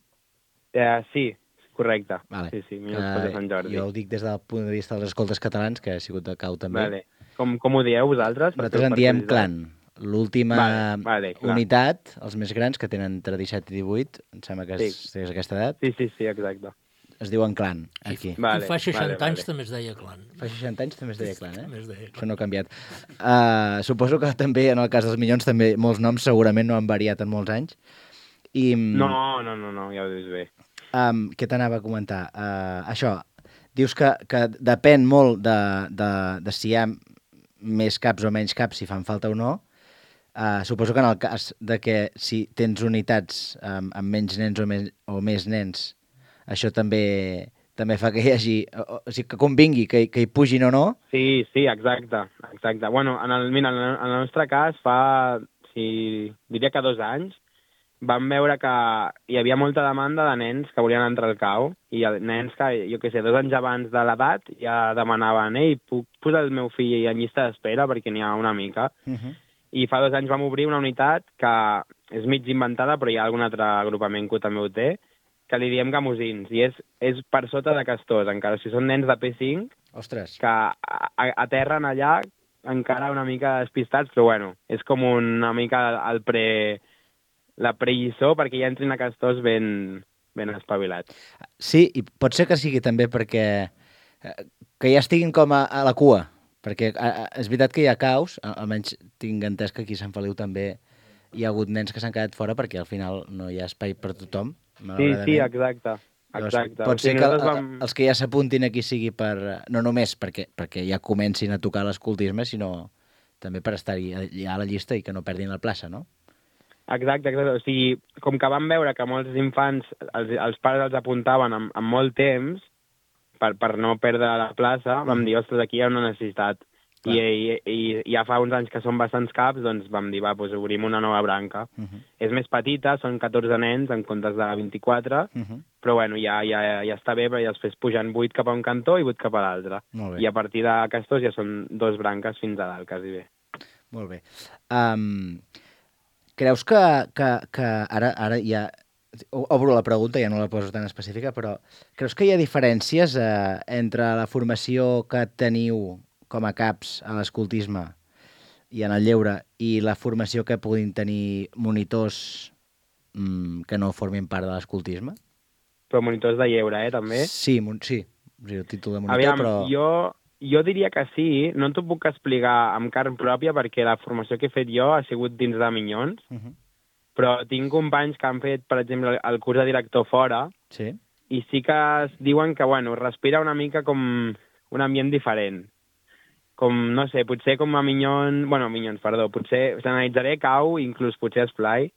Sí, correcte. Vale. Sí, Minyons Escoltes de Sant Jordi. Jo ho dic des del punt de vista dels escoltes catalans, que ha sigut de cau també. Vale. Com ho dieu vosaltres? Nosaltres en diem clan. L'última vale, unitat, els més grans, que tenen entre 17 i 18, em sembla que és aquesta edat. Sí, exacte. Es diuen clan, aquí. I fa 60 anys també es deia clan. Fa 60 anys també es deia clan, També es deia clan. Això no ha canviat. Suposo que també, en el cas dels Minyons, també molts noms segurament no han variat en molts anys. No, ja ho dius bé. Què t'anava a comentar? Això, dius que depèn molt de si hi ha més caps o menys caps, si fan falta o no. Suposo que en el cas de que si tens unitats amb menys nens o més nens, això també fa que hi hagi... O sigui, que convingui, que hi pugin o no. Sí, exacte. Bueno, en el nostre cas, diria que 2 anys, vam veure que hi havia molta demanda de nens que volien entrar al cau, i nens que, jo què sé, 2 anys abans de l'edat ja demanaven puc posar el meu fill en llista d'espera perquè n'hi ha una mica. I fa 2 anys vam obrir una unitat que és mig inventada, però hi ha algun altre agrupament que també ho té, que li diem gamosins, i és per sota de castors, encara. Si són nens de P5, ostres, que aterren allà encara una mica despistats, però bueno, és com una mica la prelliçó perquè ja entrin a castors ben espavilats. Sí, i pot ser que sigui també perquè que ja estiguin com a la cua, perquè és veritat que hi ha caus, almenys tinc entès que aquí a Sant Feliu també hi ha hagut nens que s'han quedat fora perquè al final no hi ha espai per tothom. Sí, exacte. Pot ser que els que ja s'apuntin aquí sigui no només perquè ja comencin a tocar l'escoltisme, sinó també per estar-hi a la llista i que no perdin la plaça, no? Exacte. O sigui, com que vam veure que molts infants, els pares els apuntaven amb molt temps per no perdre la plaça, vam dir, ostres, aquí hi ha una necessitat. I ja fa uns anys que són bastants caps, doncs vam dir, doncs obrim una nova branca. És més petita, són 14 nens en comptes de 24, però bueno, ja està bé, perquè després pugen 8 cap a un cantó i 8 cap a l'altre. I a partir de castors ja són 2 branques fins a dalt, quasi bé. Molt bé. Creus que ara ja... Obro la pregunta, ja no la poso tan específica, però creus que hi ha diferències entre la formació que teniu com a caps a l'escoltisme i en el lleure i la formació que puguin tenir monitors que no formin part de l'escoltisme? Però monitors de lleure, també? Sí, el títol de monitor, però... Jo diria que sí, no t'ho puc explicar amb carn pròpia perquè la formació que he fet jo ha sigut dins de Minyons, però tinc companys que han fet, per exemple, el curs de director fora, i sí que es diuen que, bueno, respira una mica com un ambient diferent. Com, no sé, potser com a Minyons, potser s'analitzaré cau, inclús potser esplai.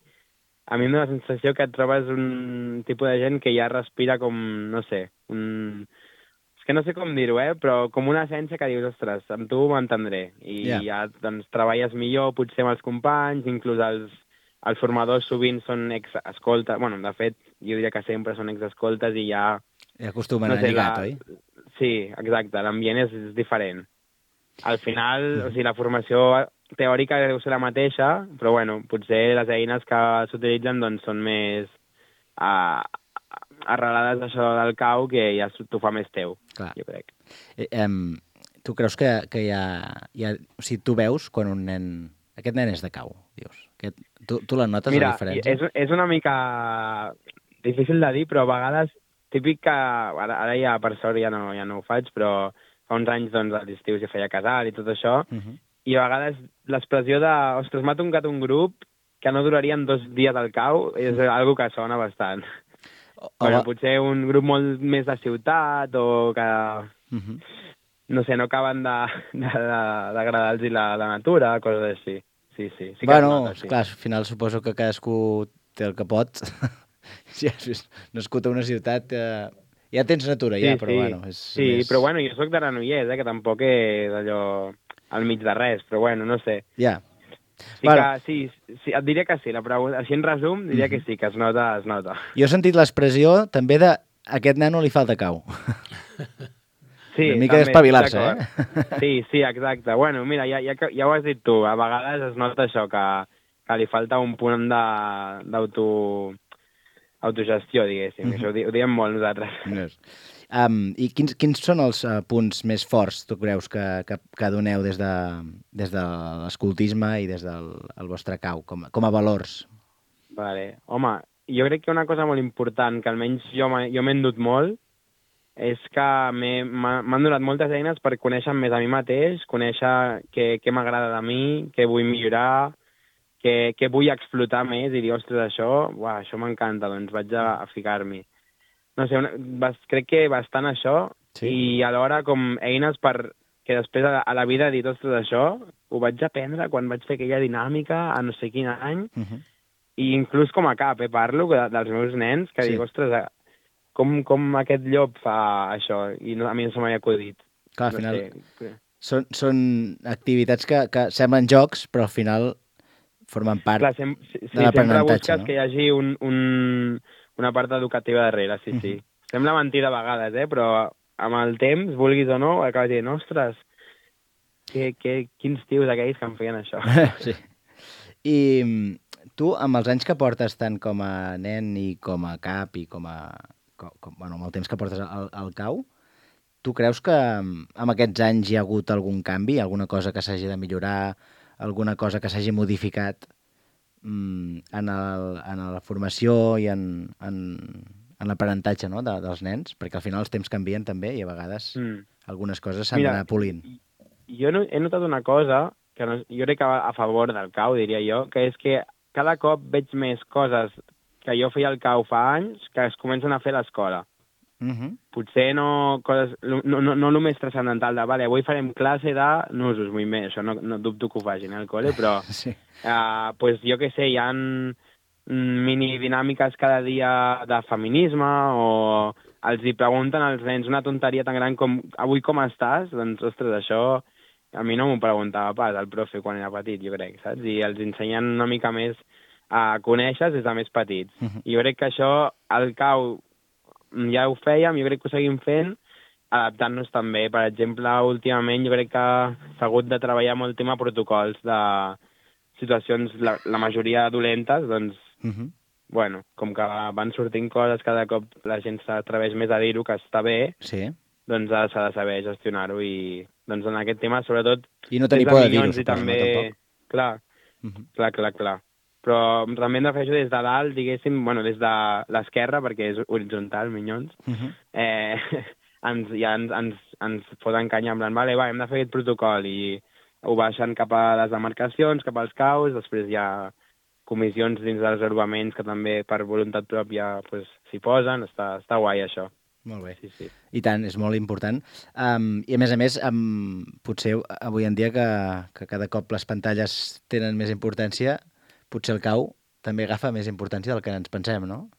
A mi em dóna la sensació que et trobes un tipus de gent que ja respira com, no sé, és que no sé com dir-ho, però com una essència que dius, ostres, amb tu m'entendré. I ja doncs, treballes millor, potser amb els companys, inclús els formadors sovint són ex-escoltes, bueno, de fet, jo diria que sempre són ex-escoltes i ja... I acostumen a lligat, oi? Sí, exacte, l'ambient és diferent. Al final, o sigui, la formació teòrica deu ser la mateixa, però bueno, potser les eines que s'utilitzen doncs, són més arrelades d'això del cau, que ja t'ho fa més teu, jo crec. Tu creus que hi ha... O sigui, tu veus quan un nen... Aquest nen és de cau, dius. Tu la notes, la diferència? Mira, és una mica difícil de dir, però a vegades, típic que... Ara ja, per sort, ja no ho faig, però fa uns anys, doncs, a l'estiu s'hi feia casal i tot això, i a vegades l'expressió de, ostres, m'ha tocat un grup que no durarien 2 dies al cau, és algo que sona bastant. Bueno, potser un grup molt més de ciutat, o que... no sé, no acaben d'agradar-los la natura, coses així. Sí, sí. Sí que Bueno, es nota, sí. clar, al final suposo que cadascú té el que pot. Si has nascut a una ciutat, ja tens natura, ja, però bueno... És sí, més... però bueno, jo sóc de Granollers, que tampoc és allò al mig de res, però bueno, no sé. Ja. Sí, bueno. Sí, et diria que sí, la pregunta, així en resum, diria que sí, que es nota, es nota. Jo he sentit l'expressió també de aquest nano li falta cau. Sí, una mica d'espavilar-se, Sí, exacte. Bueno, mira, ja ho has dit tu, a vegades es nota això, que li falta un punt d'autogestió, diguéssim. Això ho diem molt nosaltres. I quins són els punts més forts, tu creus, que doneu des de l'escoltisme i des del vostre cau, com a valors? Vale. Home, jo crec que una cosa molt important, que almenys jo m'he endut molt, és que m'han donat moltes eines per conèixer més a mi mateix, conèixer què m'agrada de mi, què vull millorar, què vull explotar més i dir, ostres, això m'encanta, doncs vaig a ficar-m'hi. No sé, crec que bastant això, sí. I alhora com eines que després a la vida he dit, ostres, això ho vaig aprendre quan vaig fer aquella dinàmica a no sé quin any, i inclús com a cap, parlo dels meus nens, que dic, ostres, com aquest llop fa això, i a mi no se m'ha acudit. Clar, al final són activitats que semblen jocs, però al final formen part de l'aprenentatge. Sempre busques que hi hagi una part educativa darrere, sí. Sembla mentida a vegades, però amb el temps, vulguis o no, acabes dient, ostres, quins tios aquells que em feien això. Sí. I tu, amb els anys que portes tant com a nen i com a cap i amb el temps que portes al cau, tu creus que amb aquests anys hi ha hagut algun canvi, alguna cosa que s'hagi de millorar, alguna cosa que s'hagi modificat en la formació i en l'aprenentatge, no, dels nens? Perquè al final els temps canvien també i a vegades algunes coses s'han d'anar polint. Jo he notat una cosa, que jo crec que va a favor del cau, diria jo, que és que cada cop veig més coses que jo feia al cau fa anys que es comencen a fer a l'escola. Potser no el més transcendental de, vale, avui farem classe de nusos, moviments, això no dubto que ho facin al col·le, però pues, jo què sé, hi ha mini dinàmiques cada dia de feminisme o els hi pregunten als nens una tonteria tan gran com avui com estàs? Doncs, ostres, això a mi no m'ho preguntava pas el profe quan era petit, jo crec, saps? I els ensenyen una mica més a conèixer des de més petits. I jo crec que això al cau ja ho fèiem, jo crec que ho seguim fent, adaptant-nos també. Per exemple, últimament jo crec que s'ha hagut de treballar molt tema protocols de situacions, la majoria dolentes, doncs, bueno, com que van sortint coses, cada cop la gent s'atreveix més a dir-ho, que està bé, doncs s'ha de saber gestionar-ho i doncs en aquest tema, sobretot... I no tenir por de dir-ho, suposo, també... tampoc. Clar. Però també hem de fer això des de dalt, diguéssim, bueno, des de l'esquerra, perquè és horitzontal, minyons, ens foten canya en plan, vale, hem de fer aquest protocol, i ho baixen cap a les demarcacions, cap als caus, després hi ha comissions dins dels agrupaments que també per voluntat pròpia s'hi posen, està guai això. Molt bé. Sí. I tant, és molt important. I a més, potser avui en dia que cada cop les pantalles tenen més importància, potser el cau també agafa més importància del que ens pensem, no?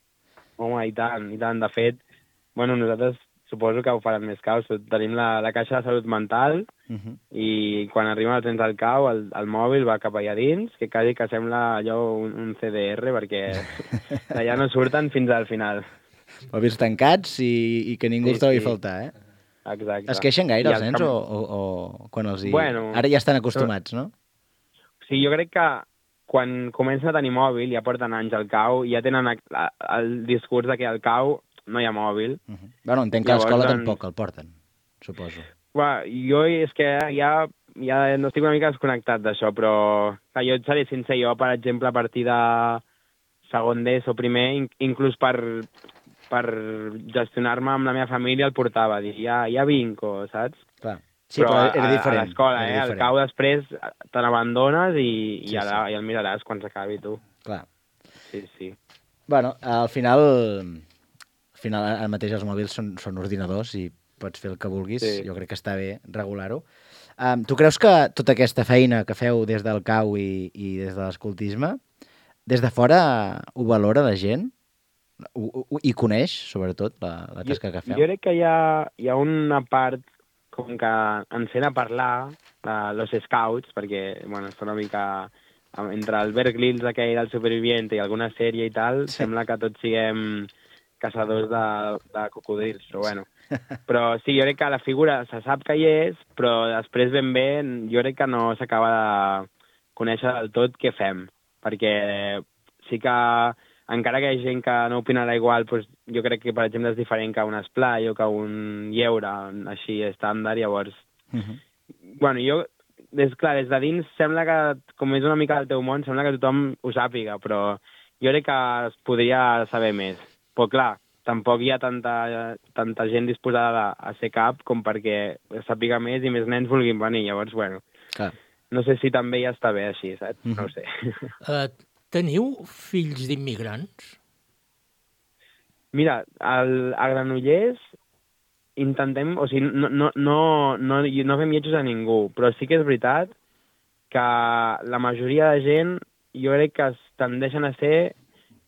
Home, i tant. De fet, bueno, nosaltres suposo que ho faran més caus. Tenim la caixa de salut mental i quan arriben els nens al cau, el mòbil va cap allà dins, que quasi que sembla allò un CDR, perquè d'allà no surten fins al final. Mòbils tancats i que ningú els trobi a faltar, Exacte. Es queixen gaire els nens o quan els hi... Bueno, ara ja estan acostumats, no? Sí, jo crec que quan comencen a tenir mòbil, ja porten anys al cau, ja tenen el discurs de que al cau no hi ha mòbil. Bueno, entenc que a l'escola tampoc el porten, suposo. Jo és que ja no estic una mica desconnectat d'això, però jo et seré sincer, jo, per exemple, a partir de segon d'ESO o primer, inclús per gestionar-me amb la meva família el portava, dir, ja vinc, saps? Clar. Sí, però era diferent. A l'escola, al cau després te n'abandones i ja el miraràs quan s'acabi, tu. Clar. Sí. Bueno, al final ara mateix els mòbils són ordinadors i pots fer el que vulguis, Sí. jo crec que està bé regular-ho. Tu creus que tota aquesta feina que feu des del cau i des de l'escoltisme, des de fora ho valora la gent? I coneix, sobretot, la tasca que feu? Jo crec que hi ha una part com que ens sent a parlar de los scouts, perquè, bueno, està una mica... Entre el Bear Grylls aquell del Superviviente i alguna sèrie i tal, sembla que tots siguem caçadors de cocodrils, però bueno. Però sí, jo crec que la figura se sap que hi és, però després ben bé jo crec que no s'acaba de conèixer del tot què fem, perquè sí que encara que hi ha gent que no opinarà igual, doncs jo crec que, per exemple, és diferent que un esplai o que un lleure, així, estàndard, llavors... Bueno, jo... des de dins sembla que, com és una mica del teu món, sembla que tothom ho sàpiga, però jo crec que es podria saber més. Però clar, tampoc hi ha tanta gent disposada a ser cap com perquè sàpiga més i més nens vulguin venir. Llavors, bueno, clar. No sé si també ja està bé així, saps? No ho sé. Teniu fills d'immigrants? Mira, a Granollers intentem, o sigui, no fem lletjos a ningú, però sí que és veritat que la majoria de gent jo crec que es tendeixen a ser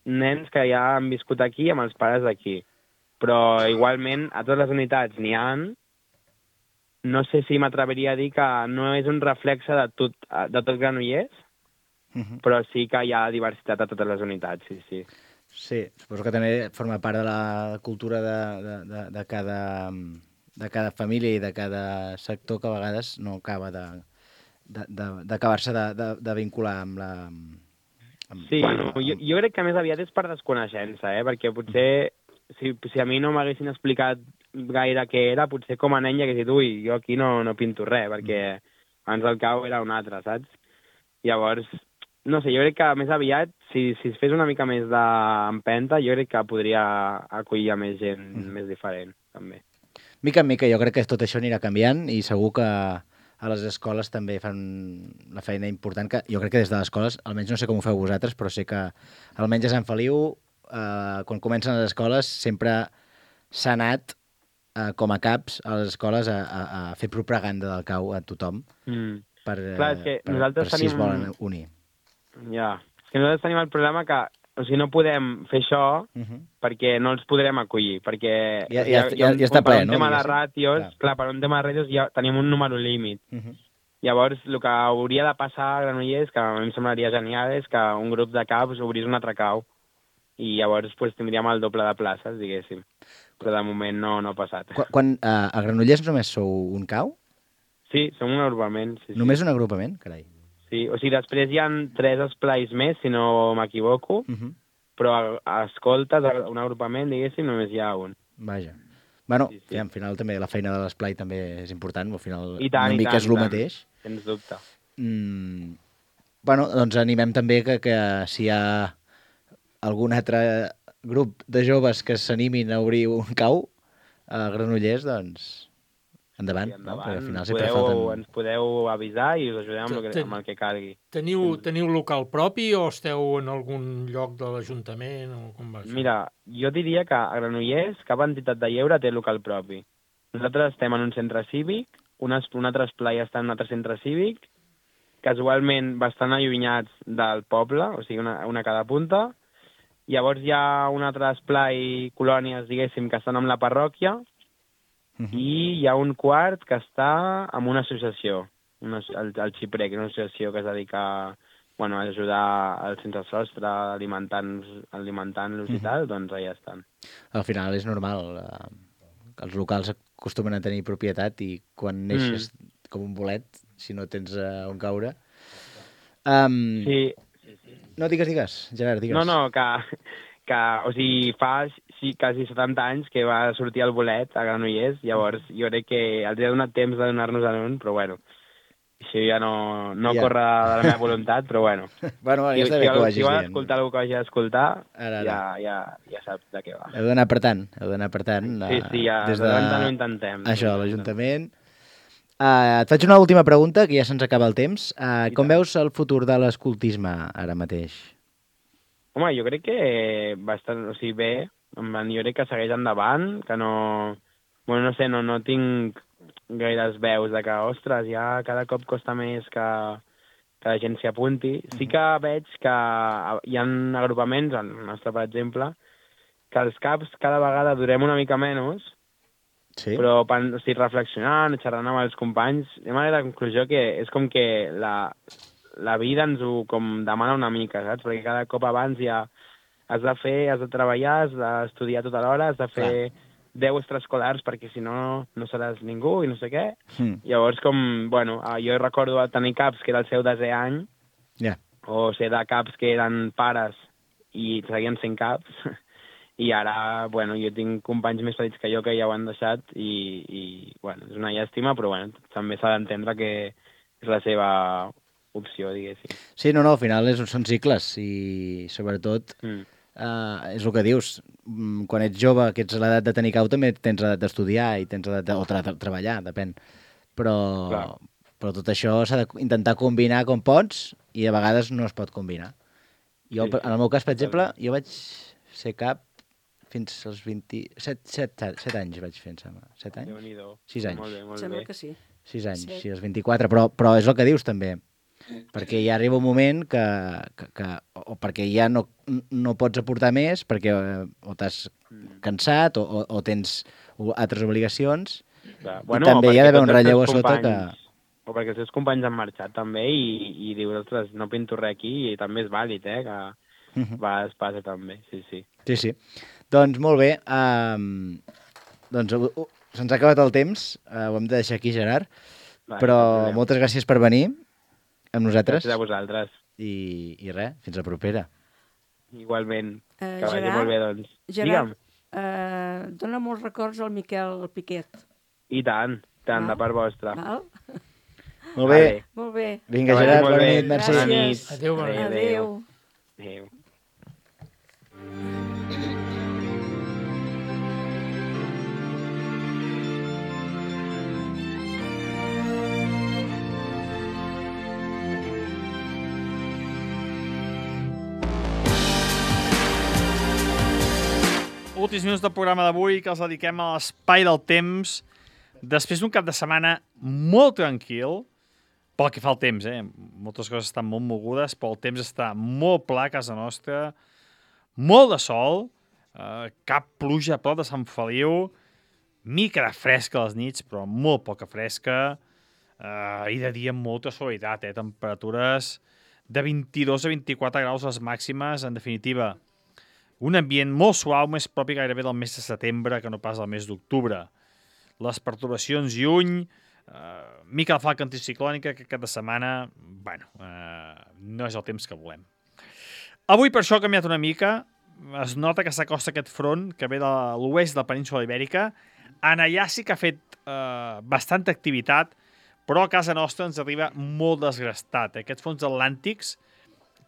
nens que ja han viscut aquí amb els pares d'aquí. Però igualment a totes les unitats n'hi ha. No sé si m'atreviria a dir que no és un reflexe de tot Granollers, però sí que hi ha diversitat a totes les unitats, sí. Sí, suposo que també forma part de la cultura de cada família i de cada sector que a vegades no acaba d'acabar-se de vincular amb la... Sí, bueno, jo crec que més aviat és per desconeixença, perquè potser si a mi no m'haguessin explicat gaire què era, potser com a nen ja hagués dit, ui, jo aquí no pinto res, perquè abans del cau era un altre, saps? Llavors, no sé, jo crec que més aviat, si es fes una mica més d'empenta, jo crec que podria acollir a més gent més diferent, també. Mica en mica, jo crec que tot això anirà canviant i segur que a les escoles també fan la feina important, que jo crec que des de les escoles, almenys no sé com ho feu vosaltres, però sé que almenys a Sant Feliu, quan comencen les escoles, sempre s'ha anat com a caps a les escoles a fer propaganda del cau a tothom per si es volen unir. Ja, és que nosaltres tenim el problema que no podem fer això perquè no els podrem acollir, perquè ja està ple, no? Per un tema de ràtios, clar, per un tema de ràtios ja tenim un número límit. Llavors, el que hauria de passar a Granollers, que a mi em semblaria genial, és que un grup de caps obrís un altre cau i llavors tindríem el doble de places, diguéssim. Però de moment no ha passat. A Granollers només sou un cau? Sí, som un agrupament. Només un agrupament? Carai. Sí, o sigui, després hi ha 3 esplais més, si no m'equivoco, però a escoltes, un agrupament, diguéssim, només hi ha un. Vaja. Bueno, sí. Al final també la feina de l'esplai també és important, al final una mica és el mateix. Sens dubte. Bueno, doncs animem també que si hi ha algun altre grup de joves que s'animin a obrir un cau a Granollers, doncs endavant, no? Perquè al final sempre falten... Ens podeu avisar i us ajudem amb el que calgui. Teniu local propi o esteu en algun lloc de l'Ajuntament? O com va això? Mira, jo diria que a Granollers cap entitat de lleure té local propi. Nosaltres estem en un centre cívic, un altre esplai està en un altre centre cívic, casualment bastant allunyats del poble, o sigui, una a cada punta. Llavors hi ha un altre esplai, colònies, diguéssim, que estan amb la parròquia, i hi ha un quart que està amb una associació, el Xiprec, una associació que es dedica a ajudar als sense sostre, alimentant-los i tal, doncs allà estan. Al final és normal, els locals acostumen a tenir propietat i quan neixes com un bolet, si no tens on caure... Sí. No, digues, Gerard, digues. No, que o sigui, fa quasi 70 anys que va sortir el bolet a Granollers, llavors jo crec que els ha donat temps de donar-nos en un, però bueno, això ja no corre de la meva voluntat, però bueno. Bueno, ja està bé que ho vagis dient. Si vol escoltar el que hagi d'escoltar, ja saps de què va. Heu d'anar apretant. Sí, ja des de no intentem. Això, l'Ajuntament. Et faig una última pregunta, que ja se'ns acaba el temps. Com veus el futur de l'escoltisme ara mateix? Home, jo crec que bastant, o sigui, bé, jo crec que segueix endavant, que no... bueno, no sé, no tinc gaires veus de que, ostres, ja cada cop costa més que la gent s'hi apunti. Sí que veig que hi ha agrupaments, el nostre, per exemple, que els caps cada vegada durem una mica menys, Sí? però reflexionant, xerrant amb els companys, hem arribat a la conclusió que és com que la vida ens ho com demana una mica, saps? Perquè cada cop abans ja has de treballar, has d'estudiar tota l'hora, has de fer 10 extraescolars perquè si no, no seràs ningú i no sé què. Llavors, bueno, jo recordo tenir caps que era el seu 10è any, o ser de caps que eren pares i seguien sent caps, i ara, bueno, jo tinc companys més petits que jo que ja ho han deixat i bueno, és una llàstima, però bueno, també s'ha d'entendre que és la seva opció, diguéssim. Sí, no, al final són cicles i sobretot és el que dius, quan ets jove, que ets a l'edat de tenir cau, també tens l'edat d'estudiar i tens l'edat de treballar, depèn. Però tot això s'ha d'intentar combinar com pots i a vegades no es pot combinar. Jo, en el meu cas, per exemple, jo vaig ser cap fins als 27 anys vaig fer, em sembla. 7 anys? Déu-n'hi-do. 6 anys. Molt bé, molt bé. Sembla que sí. 6 anys, sí, als 24, però és el que dius també, perquè ja arriba un moment que o perquè ja no pots aportar més, perquè o t'has cansat o tens altres obligacions, i també hi ha d'haver un relleu a sota que... O perquè els seus companys han marxat també i dius, ostres, no pinto res aquí i també és vàlid, que es passa també, sí. Sí. Doncs molt bé, doncs se'ns ha acabat el temps, ho hem de deixar aquí, Gerard, però moltes gràcies per venir amb nosaltres. Gràcies a vosaltres. I res, fins la propera. Igualment, que vagi molt bé, doncs. Gerard, dona molts records al Miquel Piquet. I tant, de part vostra. Val? Molt bé. Molt bé. Vinga, Gerard, bona nit, merci. Bona nit. Adéu, bona nit. Adéu. Adéu. Últims minuts del programa d'avui que els dediquem a l'espai del temps després d'un cap de setmana molt tranquil, pel que fa al temps, moltes coses estan molt mogudes, però el temps està molt pla a casa nostra, molt de sol, cap pluja a prop de Sant Feliu, mica de fresca a les nits, però molt poca fresca, i de dia amb molta suavitat, temperatures de 22 a 24 graus les màximes, en definitiva. Un ambient molt suau, més propi gairebé del mes de setembre que no pas del mes d'octubre. Les perturbacions lluny, mica de falca anticiclònica que cada setmana, no és el temps que volem. Avui per això ha canviat una mica, es nota que s'acosta aquest front que ve de l'oest de la península Ibèrica. En allà sí que ha fet bastanta activitat, però a casa nostra ens arriba molt desgastat. Aquests fronts atlàntics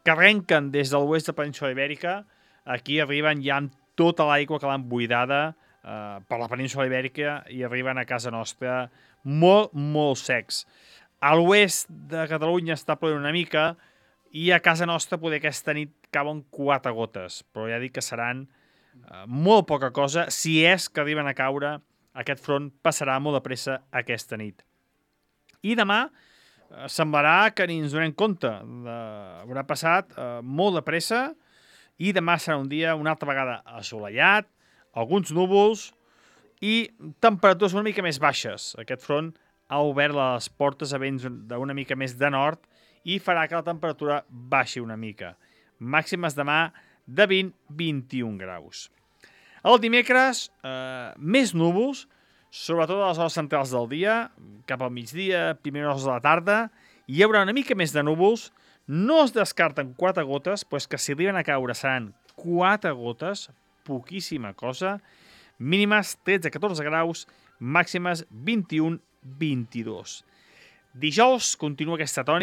que arrenquen des de l'oest de la península Ibèrica, aquí arriben ja amb tota l'aigua que l'han buidada per la península Ibèrica i arriben a casa nostra molt, molt secs. A l'oest de Catalunya està plovent una mica i a casa nostra poder aquesta nit cauen 4 gotes, però ja dic que seran molt poca cosa. Si és que arriben a caure, aquest front passarà molt de pressa aquesta nit. I demà semblarà que ni ens donem compte. Haurà passat molt de pressa i demà serà un dia una altra vegada assolellat, alguns núvols i temperatures una mica més baixes. Aquest front ha obert les portes a vents d'una mica més de nord i farà que la temperatura baixi una mica. Màximes demà de 20-21 graus. El dimecres, més núvols, sobretot a les hores centrals del dia, cap al migdia, primeres hores de la tarda, hi haurà una mica més de núvols. No es descarten 4 gotes, però és que si arriben a caure seran 4 gotes, poquíssima cosa, mínimes 13-14 graus, màximes 21-22. Dijous continua aquesta tònica.